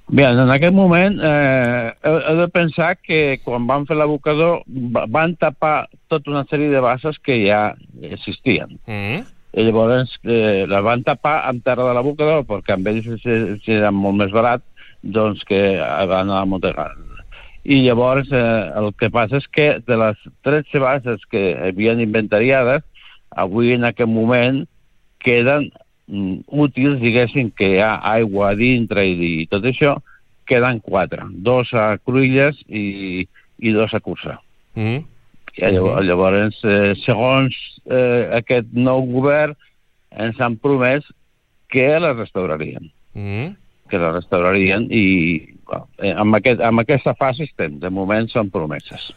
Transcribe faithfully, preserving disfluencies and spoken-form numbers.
Bé, en aquest moment eh, he, he de pensar que quan van fer l'abocador van tapar tota una sèrie de basses que ja existien. Mm. I llavors eh, les van tapar amb terra de l'abocador perquè amb ells era molt més barat doncs que van a amuntegar. I llavors eh, el que passa és que de les tretze basses que havien inventariades, avui en aquest moment queden útils, diguéssim, que hi ha aigua a dintre i, i tot això, queden quatre. Dos a Cruïlles i, i dos a Cursà. Mm. I llavors, llavors eh, segons eh, aquest nou govern, ens han promès que la restaurarien. Mm. Que la restaurarien i bueno, amb, aquest, amb aquesta fase estem. De moment són promeses.